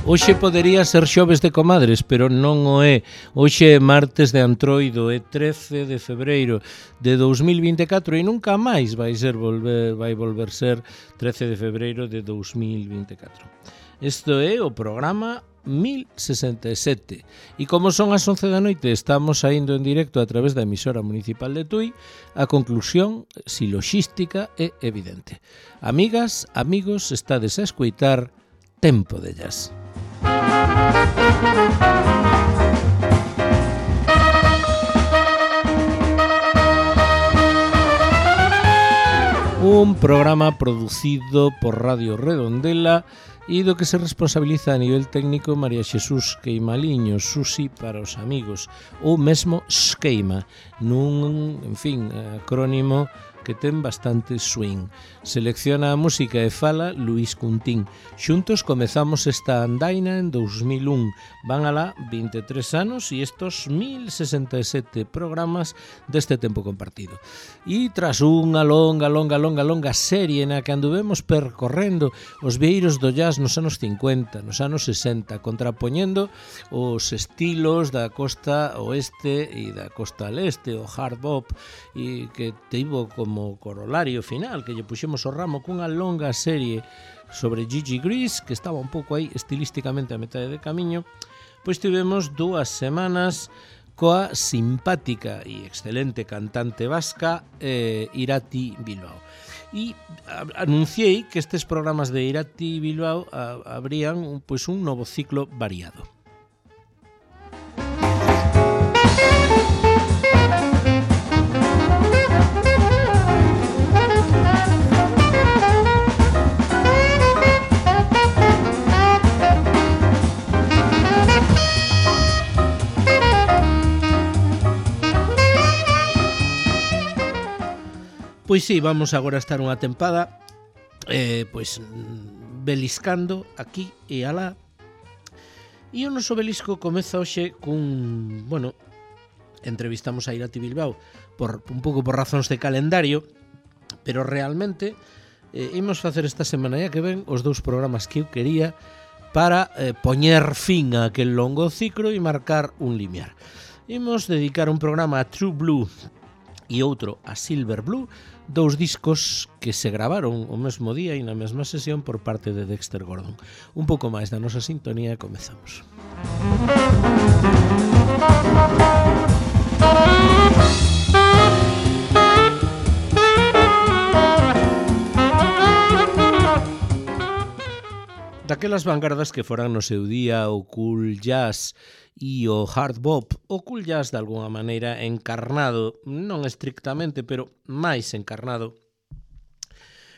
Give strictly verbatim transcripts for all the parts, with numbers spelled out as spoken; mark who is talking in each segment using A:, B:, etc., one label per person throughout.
A: Hoxe podería ser xoves de comadres, pero non o é. Hoxe é martes de Antroido, é trece de febreiro de dous mil vinte e catro e nunca máis vai ser volver, vai volver ser trece de febreiro de dous mil vinte e catro. Isto é o programa mil sesenta e sete e como son as once da noite estamos saindo en directo a través da emisora municipal de Tui, a conclusión siloxística é evidente. Amigas, amigos, estades a escoitar Tempo de Jazz. Un programa producido por Radio Redondela e do que se responsabiliza a nivel técnico María Xesús Queimaliño, Susi para os amigos, ou mesmo Esqueima, nun, en fin, acrónimo que ten bastante swing. Selecciona a música e fala Luís Cuntín. Xuntos comezamos esta andaina en dous mil un. Van alá vinte e tres anos e estos mil sesenta e sete programas deste tempo compartido. E tras unha longa, longa, longa, longa serie na que anduvemos percorrendo os vieiros do jazz nos anos cincuenta, nos anos sesenta, contrapoñendo os estilos da costa oeste e da costa leste, o hard bop, e que teivo como corolario final que lle puxemos o ramo cunha longa serie sobre Gigi Gris, que estaba un pouco aí estilísticamente a metade de camiño. Pois tivemos dúas semanas coa simpática e excelente cantante vasca eh, Irati Bilbao. E anunciei que estes programas de Irati Bilbao a, abrían un, pois un novo ciclo variado. Pois sí, vamos agora a estar unha tempada eh, pois beliscando aquí e alá. E o noso belisco comeza hoxe cun, bueno, entrevistamos a Irati Bilbao por un pouco por razóns de calendario, pero realmente eh, imos facer esta semana ya que ven os dous programas que eu quería para eh, poñer fin a aquel longo ciclo e marcar un limiar. Imos dedicar un programa a True Blue e outro a Silver Blue, dous discos que se gravaron o mesmo día e na mesma sesión por parte de Dexter Gordon. Un pouco máis da nosa sintonía e comezamos. Daquelas vanguardas que foran no seu día o cool jazz e o hard bop, o cool jazz de alguna maneira encarnado, non estrictamente, pero máis encarnado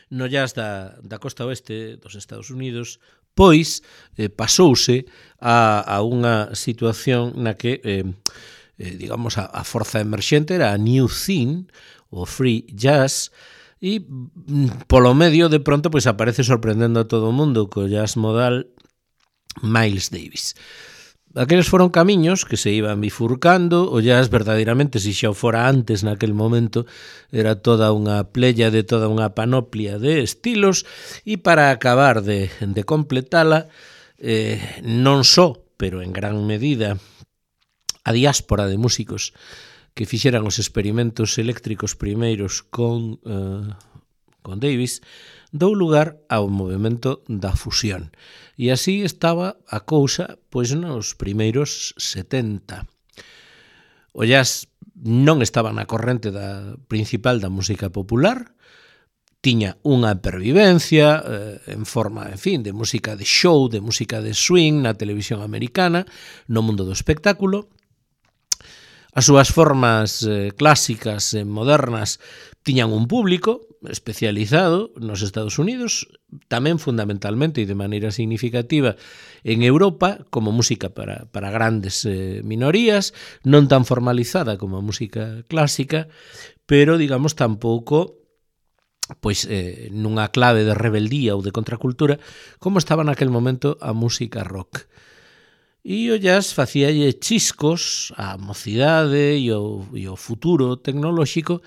A: no jazz da, da costa oeste dos Estados Unidos, pois eh, pasouse a, a unha situación na que, eh, eh, digamos, a, a forza emerxente era a new scene, o free jazz, e polo medio de pronto pois aparece sorprendendo a todo o mundo co jazz modal Miles Davis. Aqueles foron camiños que se iban bifurcando, o jazz verdadeiramente, se xa o fora antes naquel momento, era toda unha plella de toda unha panoplia de estilos, e para acabar de, de completala, eh, non só, pero en gran medida, a diáspora de músicos que fixeran os experimentos eléctricos primeiros con, eh, con Davis, dou lugar ao movimento da fusión. E así estaba a cousa pois nos primeiros setenta. O jazz non estaba na corrente da principal da música popular, tiña unha pervivencia eh, en forma, en fin, de música de show, de música de swing na televisión americana, no mundo do espectáculo. As súas formas eh, clásicas e modernas tiñan un público especializado nos Estados Unidos, tamén fundamentalmente e de maneira significativa en Europa, como música para, para grandes eh, minorías, non tan formalizada como a música clásica, pero, digamos, tampouco pois eh, nunha clave de rebeldía ou de contracultura como estaba naquel momento a música rock. E o jazz facíalle chiscos á mocidade e o, e o futuro tecnolóxico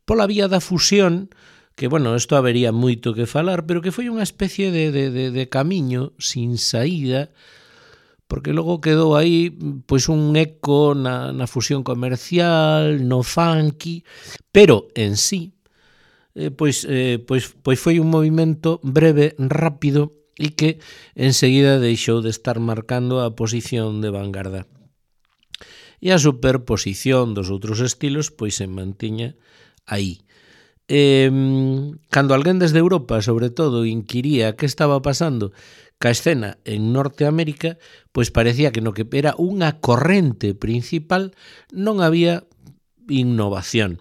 A: pola vía da fusión, que, bueno, isto habería moito que falar, pero que foi unha especie de, de, de, de camiño sin saída porque logo quedou aí pois un eco na, na fusión comercial, no funky, pero en sí eh, pois, eh, pois, pois foi un movimento breve, rápido e que enseguida deixou de estar marcando a posición de vanguarda. E a superposición dos outros estilos pois se mantiña aí. Eh, cando alguén desde Europa, sobre todo, inquiría que estaba pasando ca escena en Norteamérica, pois parecía que no que era unha corrente principal non había innovación.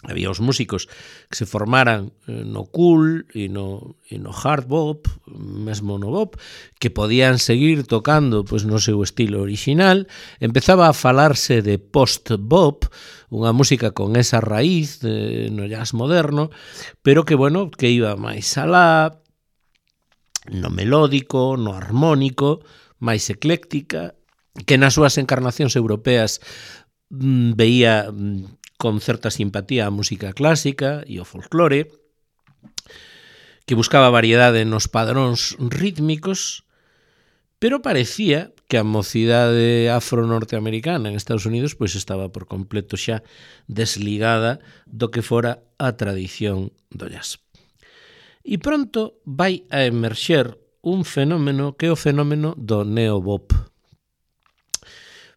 A: Había os músicos que se formaran no cool e no, e no hard bop, mesmo no bop, que podían seguir tocando pois, no seu estilo original. Empezaba a falarse de post-bop, unha música con esa raíz de, no jazz moderno, pero que, bueno, que iba máis alá, no melódico, no armónico, máis ecléctica, que nas súas encarnacións europeas mm, veía mm, con certa simpatía a música clásica e o folclore, que buscaba variedade nos padróns rítmicos, pero parecía que a mocidade afro-norteamericana en Estados Unidos pois estaba por completo xa desligada do que fora a tradición do jazz. E pronto vai a emerxer un fenómeno que é o fenómeno do neobop.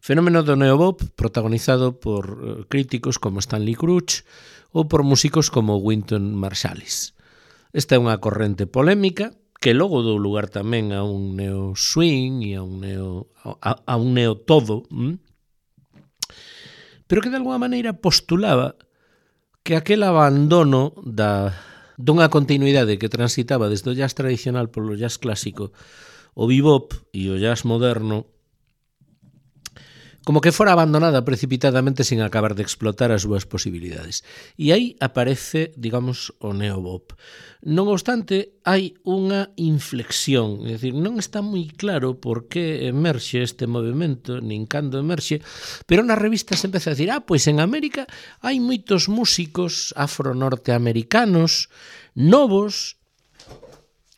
A: Fenómeno do neobop protagonizado por críticos como Stanley Crouch ou por músicos como Wynton Marsalis. Esta é unha corrente polémica que logo dou lugar tamén a un neo swing e a un neo, a, a un neo todo, ¿m? Pero que de alguma maneira postulaba que aquel abandono da, dunha continuidade que transitaba desde o jazz tradicional polo jazz clásico, o bebop e o jazz moderno, como que fora abandonada precipitadamente sin acabar de explotar as súas posibilidades. E aí aparece, digamos, o neobop. Non obstante, hai unha inflexión, é dicir, non está moi claro por que emerxe este movimento, nin cando emerxe, pero nas revistas empeza a decir, ah, pois en América hai moitos músicos afro-norteamericanos novos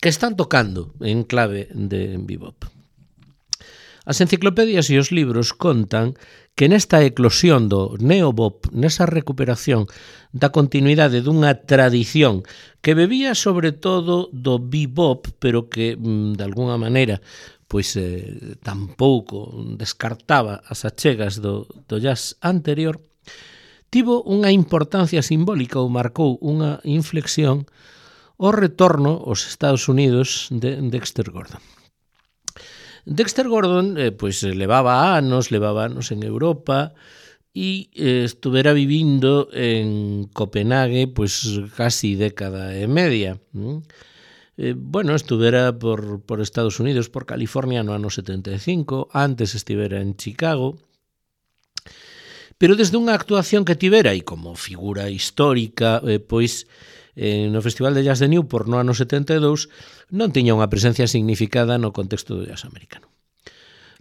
A: que están tocando en clave de bebop. As enciclopedias e os libros contan que nesta eclosión do neobop, nesa recuperación da continuidade dunha tradición que bebía sobre todo do bebop, pero que, de alguna maneira, pois eh, tampouco descartaba as achegas do, do jazz anterior, tivo unha importancia simbólica ou marcou unha inflexión o retorno aos Estados Unidos de Dexter Gordon. Dexter Gordon eh, pois levaba anos, levaba anos en Europa e eh, estuvera vivindo en Copenhague pois casi década e media. Eh, bueno, estuvera por, por Estados Unidos, por California no ano setenta e cinco, antes estivera en Chicago, pero desde unha actuación que tivera e como figura histórica, eh, pois eh, no Festival de Jazz de Newport no ano setenta e dous non tiña unha presencia significada no contexto do jazz americano.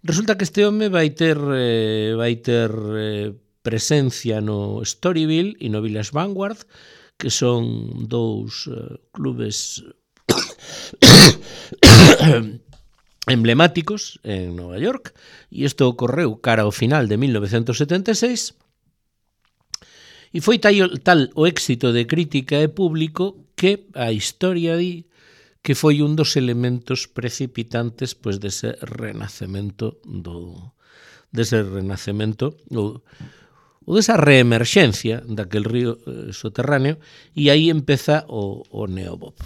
A: Resulta que este home vai ter, eh, vai ter eh, presencia no Storyville e no Village Vanguard, que son dous eh, clubes emblemáticos en Nova York, e isto ocorreu cara ao final de mil novecentos setenta e seis, e foi tal, tal o éxito de crítica e público que a historia di que foi un dos elementos precipitantes pois dese renacemento do dese renacemento ou, ou desa reemerxencia daquel río eh, soterráneo, e aí empeza o, o neobop.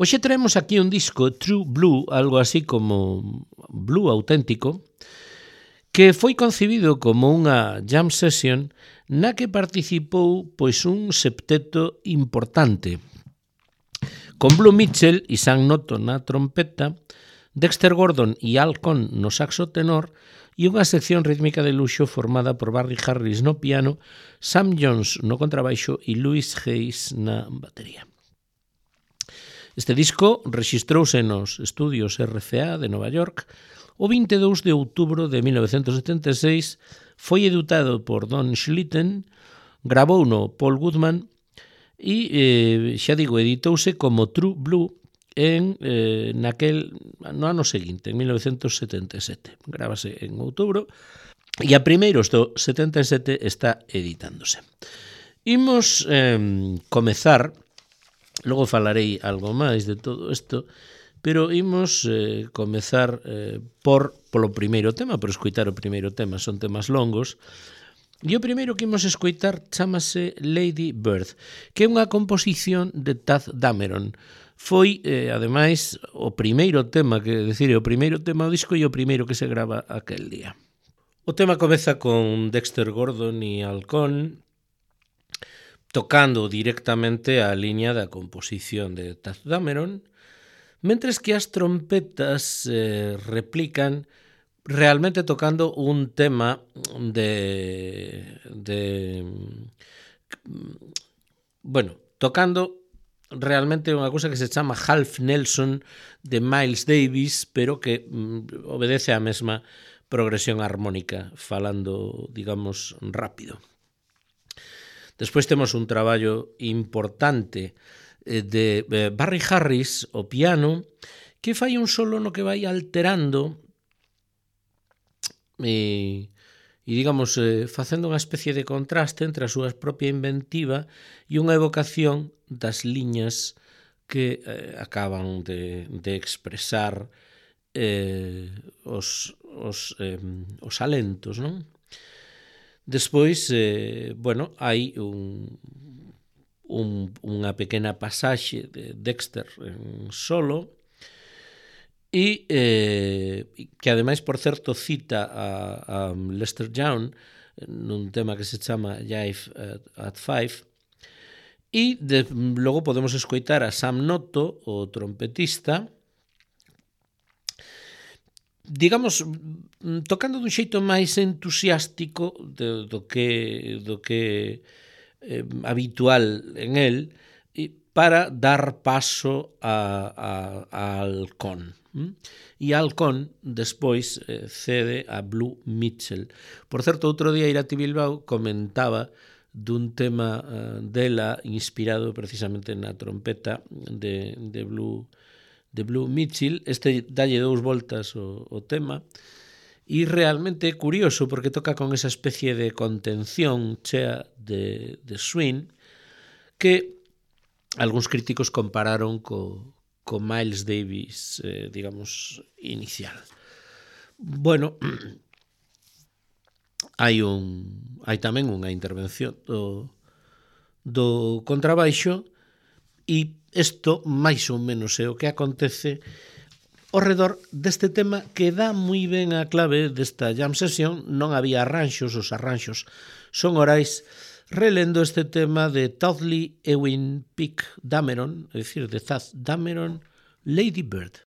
A: Hoxe traemos aquí un disco True Blue, algo así como blue auténtico, que foi concebido como unha jam session na que participou pois un septeto importante, con Blue Mitchell e Sam Noto na trompeta, Dexter Gordon e Al Cohn no saxo tenor e unha sección rítmica de luxo formada por Barry Harris no piano, Sam Jones no contrabaixo e Louis Hayes na batería. Este disco rexistrouse nos estudios R C A de Nova York o vinte e dous de outubro de mil novecentos setenta e seis, foi editado por Don Schlitten, gravouno Paul Goodman e, eh, xa digo, editouse como True Blue en, eh, naquel no ano seguinte, en mil novecentos setenta e sete. Grábase en outubro e a primeiros do setenta e sete está editándose. Imos eh, comezar, logo falarei algo máis de todo isto, pero imos eh, comezar eh, por polo primeiro tema, por escoitar o primeiro tema, son temas longos, e o primeiro que imos escoitar chamase Lady Bird, que é unha composición de Taff Dameron. Foi, eh, ademais, o primeiro tema, que decir, o primeiro tema do disco e o primeiro que se grava aquel día. O tema comeza con Dexter Gordon e Al Cohn tocando directamente a liña da composición de Taff Dameron, mentres que as trompetas eh, replican realmente tocando un tema de, de bueno, tocando realmente unha cousa que se chama Half Nelson de Miles Davis, pero que mm, obedece á mesma progresión armónica, falando, digamos, rápido. Despois temos un traballo importante de Barry Harris, o piano, que fai un solo no que vai alterando e, e digamos, eh, facendo unha especie de contraste entre a súa propia inventiva e unha evocación das liñas que eh, acaban de, de expresar eh, os, os, eh, os alentos, non? Despois, eh, bueno, hai un, un, unha pequena pasaxe de Dexter en solo e eh, que ademais, por certo, cita a, a Lester Young nun tema que se chama Jive at Five e de, logo podemos escoitar a Sam Noto, o trompetista, digamos, tocando dun xeito máis entusiástico do, do que, do que eh, habitual en el, para dar paso a, a, a Al Cohn. E Al Cohn despois eh, cede a Blue Mitchell. Por certo, outro día Irati Bilbao comentaba dun tema uh, dela inspirado precisamente na trompeta de, de Blue de Blue Mitchell. Este dalle dous voltas o, o tema e realmente é curioso porque toca con esa especie de contención chea de, de swing que algúns críticos compararon co, co Miles Davis, eh, digamos, inicial. Bueno, hai un hai tamén unha intervención do, do contrabaixo e isto máis ou menos é o que acontece ao redor deste tema que dá moi ben a clave desta jam session. Non había arranxos, os arranxos son orais, relendo este tema de Todley Ewing Pick Dameron, é dicir, de Taff Dameron, Lady Bird.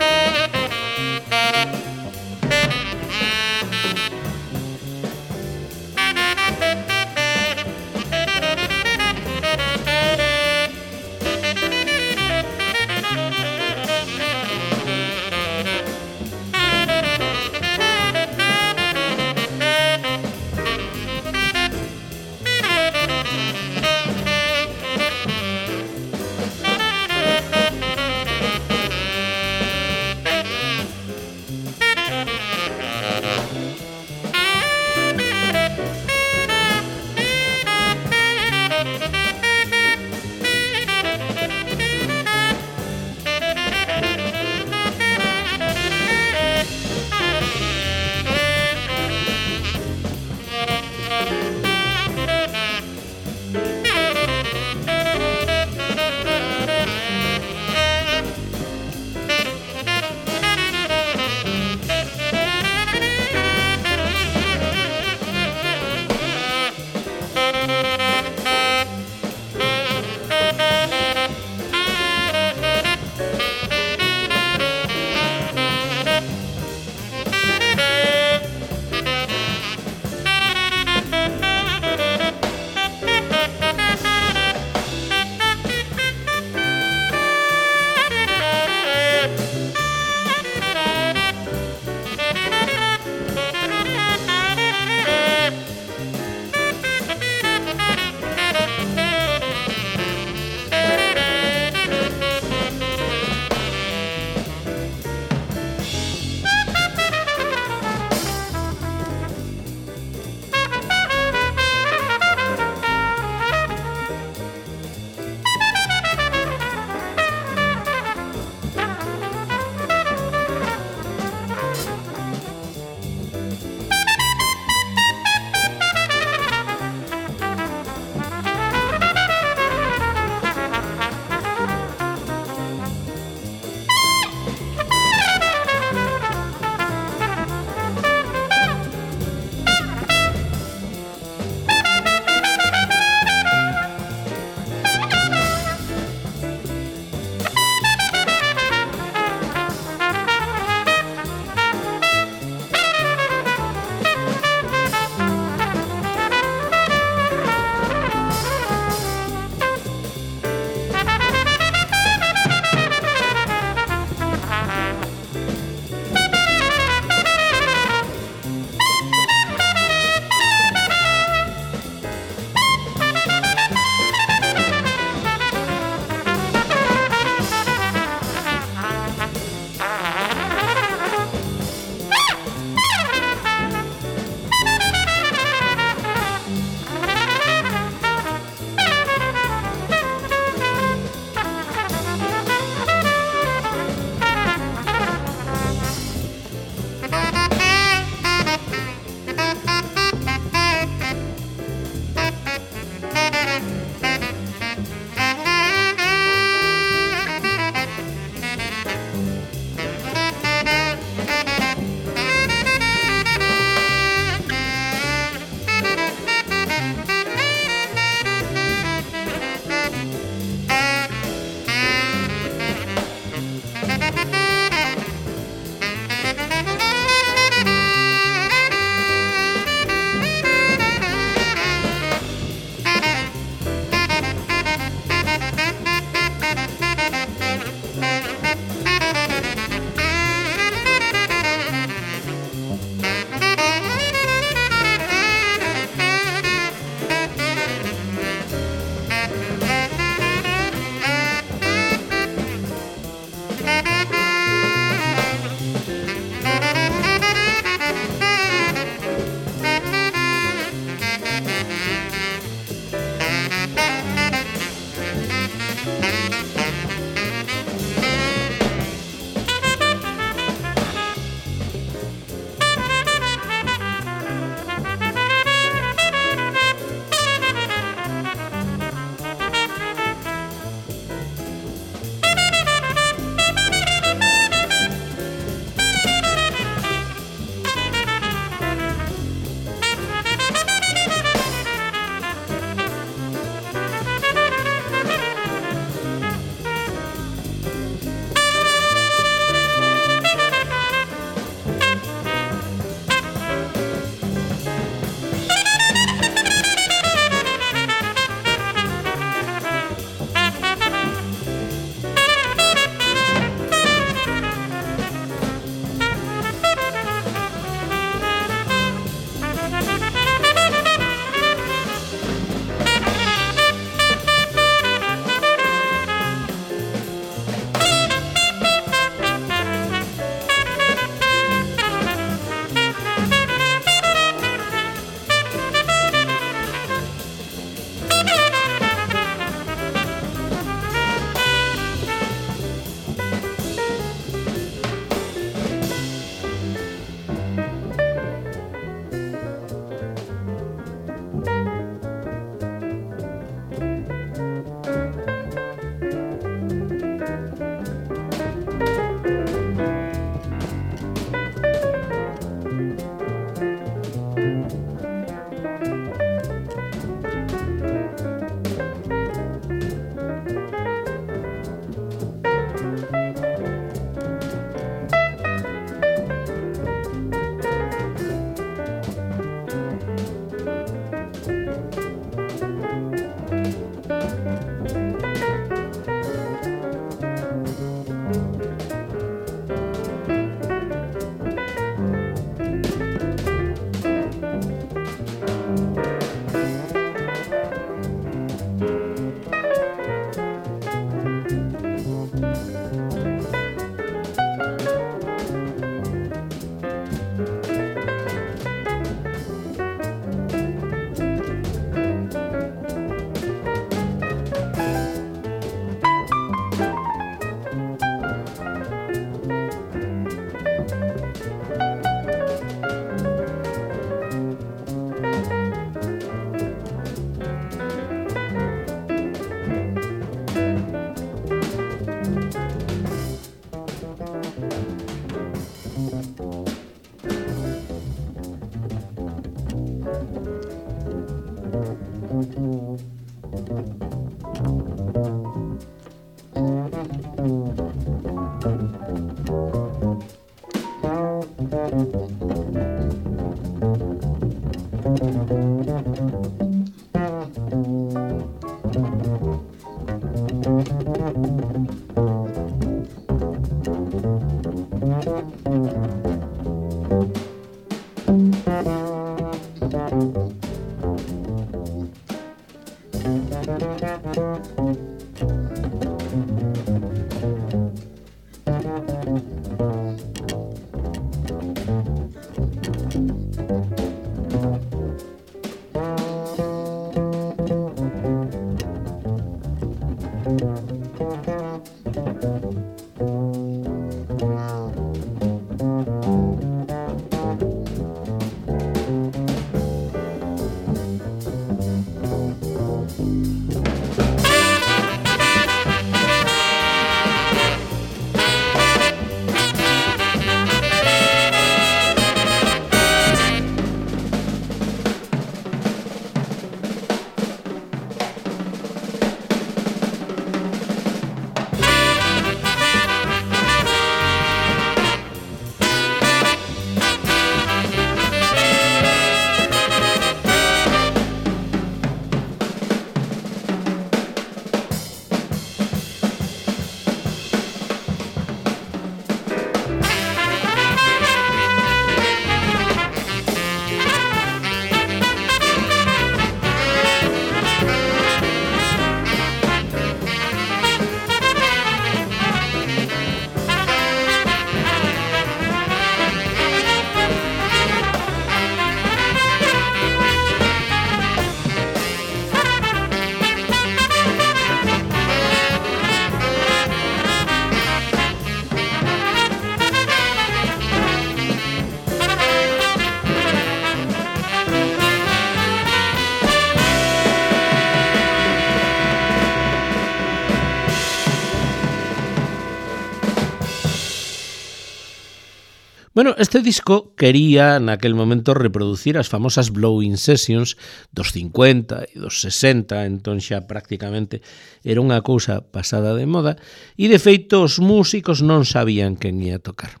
A: Bueno, este disco quería naquel momento reproducir as famosas Blowing Sessions dos cincuenta e dos sesenta, entón xa prácticamente era unha cousa pasada de moda, e de feito os músicos non sabían quen ia tocar.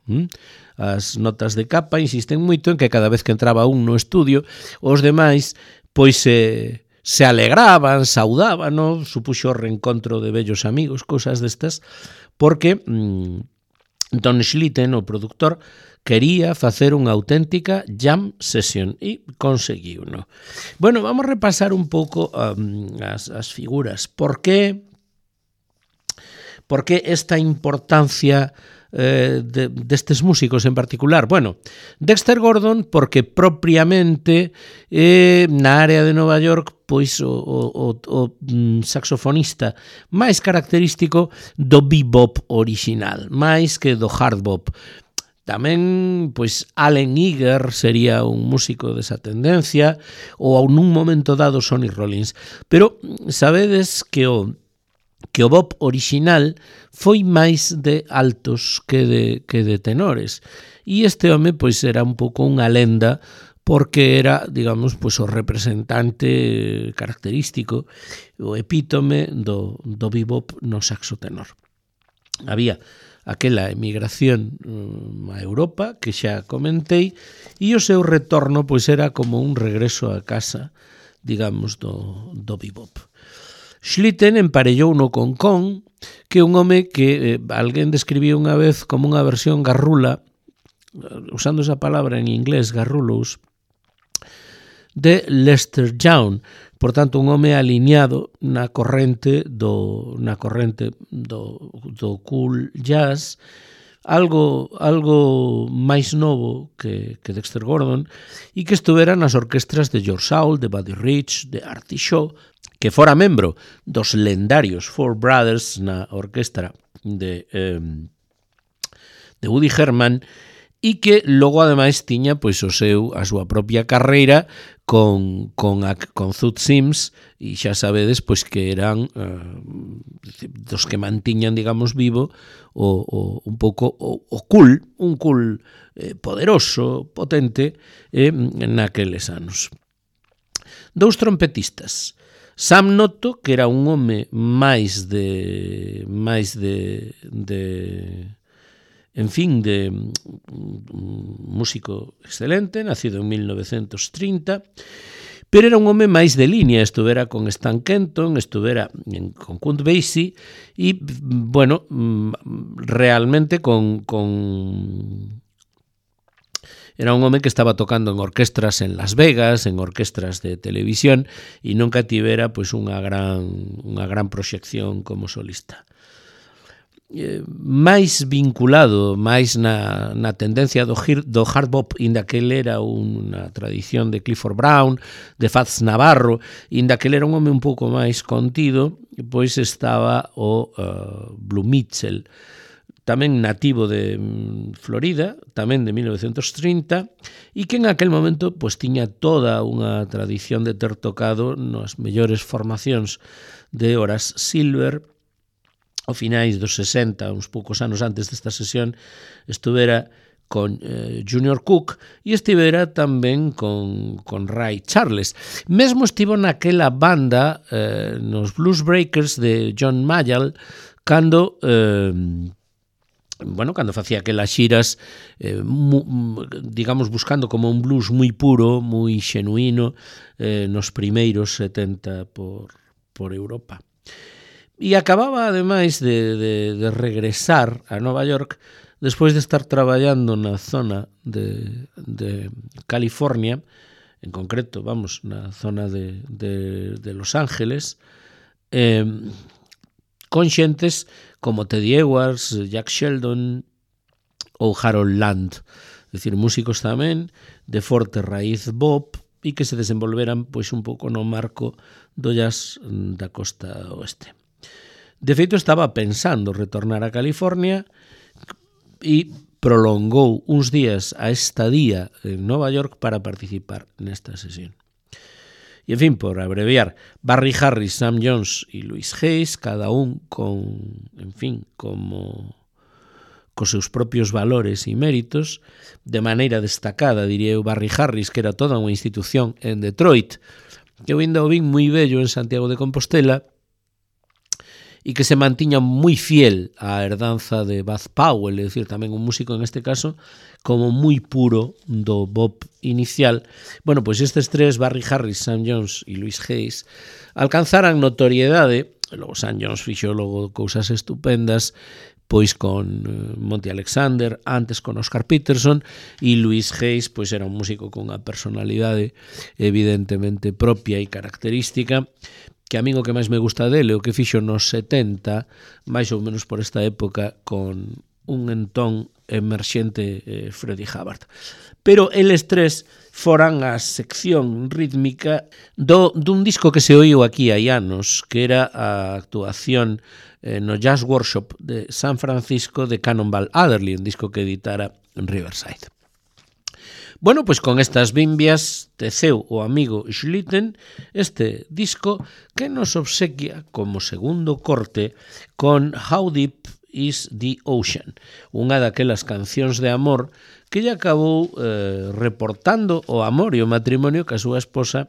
A: As notas de capa insisten moito en que cada vez que entraba un no estudio, os demais pois se, se alegraban, saudaban, no? Supuxo o reencontro de vellos amigos, cousas destas, porque mmm, Don Schlitten, o productor, quería facer unha auténtica jam session e conseguiu, no? Bueno, vamos a repasar un pouco um, as, as figuras. Por que, por que esta importancia eh, de, destes músicos en particular? Bueno, Dexter Gordon porque propiamente eh, na área de Nova York pois o, o, o saxofonista máis característico do bebop original, máis que do hard bop. Tamén, pois, Allen Eager sería un músico desa tendencia, ou nun momento dado Sonny Rollins. Pero sabedes que o que o bop original foi máis de altos que de, que de tenores. E este home, pois, era un pouco unha lenda, porque era, digamos, pois, o representante característico, o epítome do, do bebop no saxo tenor. Había aquela emigración a Europa, que xa comentei, e o seu retorno pois era como un regreso a casa, digamos, do, do bebop. Schlitten emparellouno con Con, que é un home que eh, alguén describiu unha vez como unha versión garrula, usando esa palabra en inglés, garrulos, de Lester Young. Por tanto, un home alineado na corrente do na corrente do, do cool jazz, algo algo máis novo que, que Dexter Gordon, e que estuvera nas orquestras de George Saul, de Buddy Rich, de Artie Shaw, que fora membro dos lendarios Four Brothers na orquestra de, eh, de Woody Herman, e que logo ademais tiña pois o seu a súa propia carreira con con a, con Zoot Sims, e xa sabedes pois que eran uh, dos que mantiñan, digamos, vivo o, o un pouco o, o cool, un cool eh, poderoso, potente eh, naqueles anos. Dous trompetistas. Sam Noto, que era un home máis de máis de de en fin, de un músico excelente, nacido en mil novecentos trinta, pero era un home máis de línea, estuvera con Stan Kenton, estuvera en, con Count Basie, e, bueno, realmente con... con Era un home que estaba tocando en orquestras en Las Vegas, en orquestras de televisión, e nunca tivera pois, unha, gran, unha gran proxección como solista. Eh, máis vinculado, máis na, na tendencia do, do hard bop, inda que ele era unha tradición de Clifford Brown, de Fats Navarro, inda que ele era un home un pouco máis contido, pois estaba o uh, Blue Mitchell, tamén nativo de Florida, tamén de mil novecentos trinta, e que en aquel momento pues, tiña toda unha tradición de ter tocado nas mellores formacións de Horace Silver. Ao finais dos sesenta, uns poucos anos antes desta sesión, estuvera con eh, Junior Cook e estivera tamén con, con Ray Charles. Mesmo estivo naquela banda, eh, nos Blues Breakers de John Mayall, cando... Eh, bueno, cando facía aquelas xiras, eh, mu, digamos, buscando como un blues moi puro, moi xenuíno, eh, nos primeiros setenta por, por Europa. E acababa, ademais, de, de, de regresar a Nova York despois de estar traballando na zona de, de California, en concreto, vamos, na zona de, de, de Los Ángeles, eh, con xentes como Teddy Edwards, Jack Sheldon ou Harold Land, é dicir, músicos tamén de forte raíz bop e que se desenvolveran pois un pouco no marco do jazz da costa oeste. De feito, estaba pensando retornar a California e prolongou uns días a estadía en Nova York para participar nesta sesión. E, en fin, por abreviar, Barry Harris, Sam Jones e Louis Hayes, cada un con, en fin, como cos seus propios valores e méritos, de maneira destacada, diría eu, Barry Harris, que era toda unha institución en Detroit, que eu ainda o vin moi bello en Santiago de Compostela, e que se mantiña moi fiel á herdanza de Bud Powell, é dicir, tamén un músico en este caso, como moi puro do bop inicial. Bueno, pois estes tres, Barry Harris, Sam Jones e Louis Hayes, alcanzaran notoriedade, logo Sam Jones fixo logo cousas estupendas, pois con Monty Alexander, antes con Oscar Peterson, e Louis Hayes pois era un músico con unha personalidade evidentemente propia e característica, que a min o que máis me gusta dele, o que fixo nos setenta, máis ou menos por esta época, con un entón emerxente eh, Freddie Hubbard. Pero eles tres foran a sección rítmica do, dun disco que se oíu aquí hai anos, que era a actuación eh, no Jazz Workshop de San Francisco de Cannonball Adderley, un disco que editara en Riverside. Bueno, pois con estas bimbias teceu o amigo Schlitten este disco que nos obsequia como segundo corte con How Deep is the Ocean, unha daquelas cancións de amor que lle acabou eh, reportando o amor e o matrimonio que a súa esposa,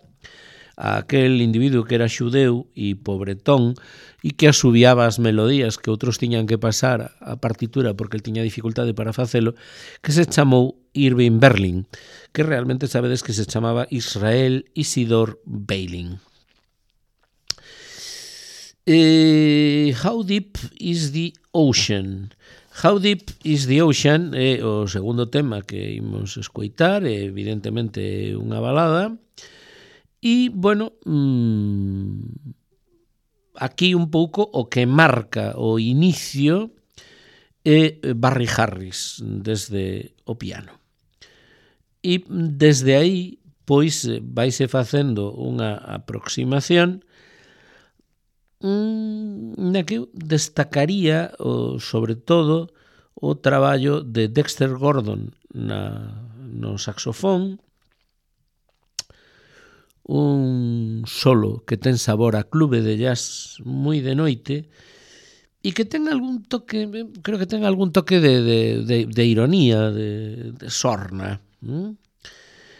A: a aquel individuo que era xudeu e pobretón e que asubiaba as melodías que outros tiñan que pasar a partitura porque el tiña dificultade para facelo, que se chamou Irving Berlin, que realmente sabedes que se chamaba Israel Isidore Beiling. Eh, How Deep is the Ocean? How Deep is the Ocean é o segundo tema que imos escoitar, é evidentemente unha balada, e, bueno, mmm, aquí un pouco o que marca o inicio é Barry Harris desde o piano. E desde aí, pois, vaise facendo unha aproximación na que eu destacaría, o, sobre todo, o traballo de Dexter Gordon na, no saxofón, un solo que ten sabor a clube de jazz moi de noite e que ten algún toque, creo que ten algún toque de, de, de, de ironía, de, de sorna. ¿Mm?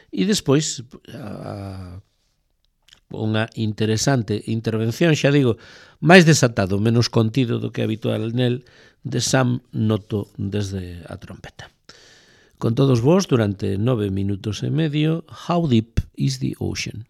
A: E despois a, unha interesante intervención, xa digo, máis desatado, menos contido do que habitual nel, de Sam Noto desde a trompeta. Con todos vos, durante nove minutos e medio, How Deep is the Ocean?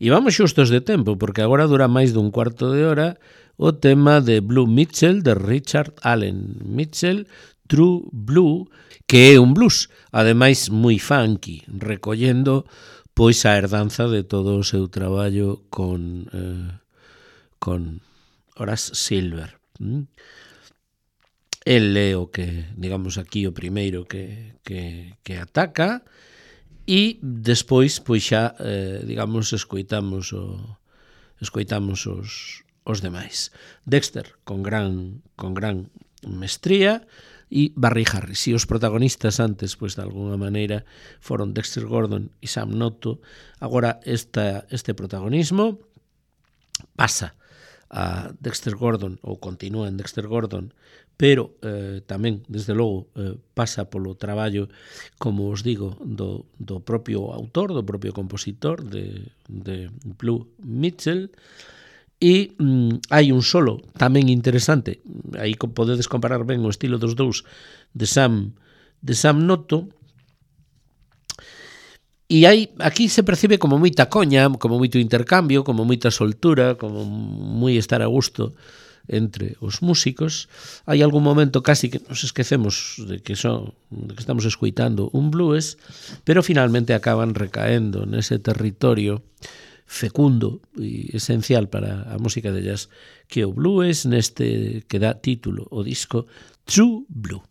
A: E vamos xustos de tempo, porque agora dura máis dun cuarto de hora o tema de Blue Mitchell, de Richard Allen Mitchell, True Blue, que é un blues, ademais moi funky, recollendo pois a herdanza de todo o seu traballo con, eh, con Horace Silver. Mm? El é o que, digamos aquí, o primeiro que, que, que ataca, e despois, pois xa, eh, digamos, escoitamos o, escoitamos os, os demais. Dexter, con gran, con gran mestría, e Barry Harris. E os protagonistas antes, pois, de alguna maneira, foron Dexter Gordon e Sam Noto. Agora, esta, este protagonismo pasa a Dexter Gordon, ou continúa en Dexter Gordon, pero eh, tamén, desde logo, eh, pasa polo traballo, como os digo, do, do propio autor, do propio compositor de, de Blue Mitchell, e mm, hai un solo tamén interesante, aí podedes comparar ben o estilo dos dous de Sam, de Sam Noto, e hai, aquí se percibe como moita coña, como moito intercambio, como moita soltura, como moi estar a gusto entre os músicos. Hai algún momento casi que nos esquecemos de que son, de que estamos escoitando un blues, pero finalmente acaban recaendo nese territorio fecundo e esencial para a música de jazz que o blues, neste que dá título o disco True Blue.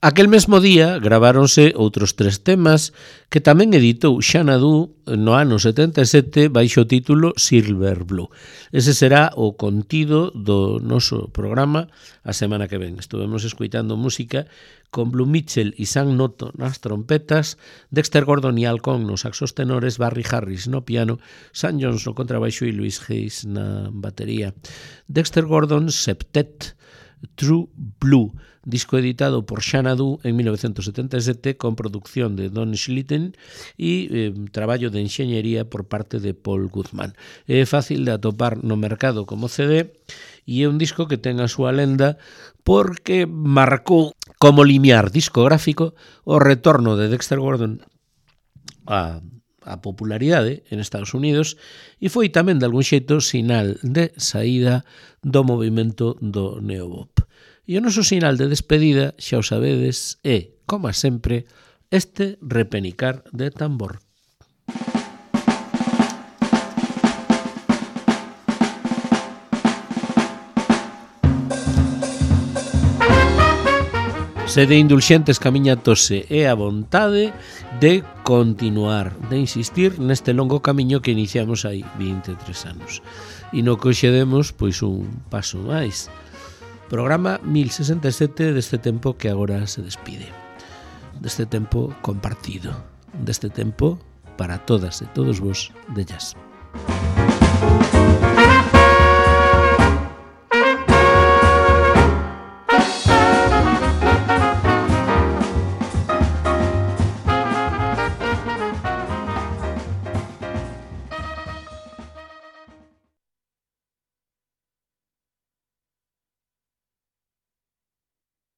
A: Aquel mesmo día graváronse outros tres temas que tamén editou Xanadu no ano setenta e sete baixo o título Silver Blue. Ese será o contido do noso programa a semana que ven. Estuvemos escuitando música con Blue Mitchell e Sam Noto nas trompetas, Dexter Gordon e Al Cohn nos saxos tenores, Barry Harris no piano, Sam Jones no contrabaixo e Louis Hayes na batería. Dexter Gordon Septet True Blue, disco editado por Xanadu en mil novecientos setenta e sete con producción de Don Schlitten e eh, traballo de enxeñería por parte de Paul Goodman. É fácil de atopar no mercado como C D e é un disco que ten a súa lenda porque marcou como limiar discográfico o retorno de Dexter Gordon a a popularidade en Estados Unidos e foi tamén de algún xeito sinal de saída do movimento do neobop. E o noso sinal de despedida, xa o sabedes, é, como sempre, este repenicar de tambor. Sede indulxentes ca miña tose e a vontade de continuar, de insistir neste longo camiño que iniciamos hai vinte e tres anos. E no que hoxe demos, pois un paso máis. Programa mil sesenta e sete deste tempo que agora se despide. Deste tempo compartido. Deste tempo para todas e todos vos de jazz.